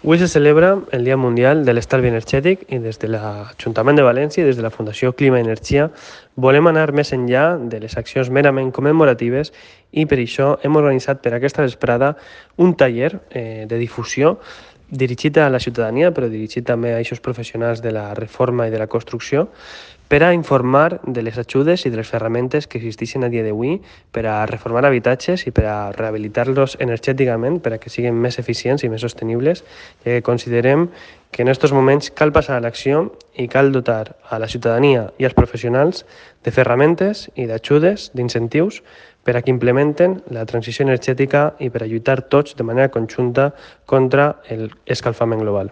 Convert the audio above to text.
Avui se celebra el Dia Mundial de l'Estalvi Energètic i des de l'Ajuntament de València i des de la Fundació Clima i Energia volem anar més enllà de les accions merament commemoratives i per això hem organitzat per aquesta vesprada un taller de difusió dirigit a la ciutadania, però dirigit també a aquests professionals de la reforma i de la construcció, per a informar de les ajudes i de les ferramentes que existeixen a dia d'avui per a reformar habitatges i per a rehabilitar-los energèticament per a que siguin més eficients i més sostenibles, ja que considerem que en aquests moments cal passar a l'acció i cal dotar a la ciutadania i als professionals de ferramentes i d'ajudes, d'incentius, per a que implementen la transició energètica i per a lluitar tots de manera conjunta contra l'escalfament global.